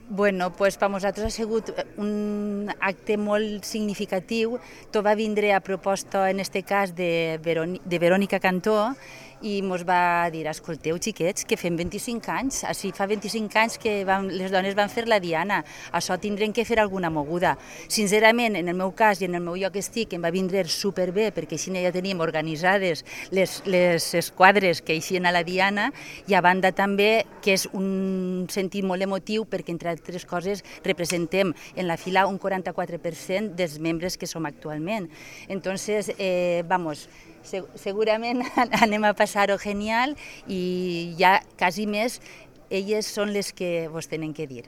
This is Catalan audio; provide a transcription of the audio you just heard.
Bueno, pues per nosaltres ha sigut un acte molt significatiu. Tot va vindre a proposta, en este cas, de Verònica Cantó, i ens va dir, escolteu, xiquets, que fem 25 anys, així fa 25 anys que les dones van fer la diana, això tindrem que fer alguna moguda. Sincerament, en el meu cas i en el meu lloc estic, em va vindre superbé, perquè així ja teníem organitzades les esquadres que eixien a la diana, i a banda també que és un sentit molt emotiu, perquè entre altres coses representem en la fila un 44% dels membres que som actualment. Entonces, segurament anem a passar-ho genial, i ja quasi més elles són les que vos tenen que dir.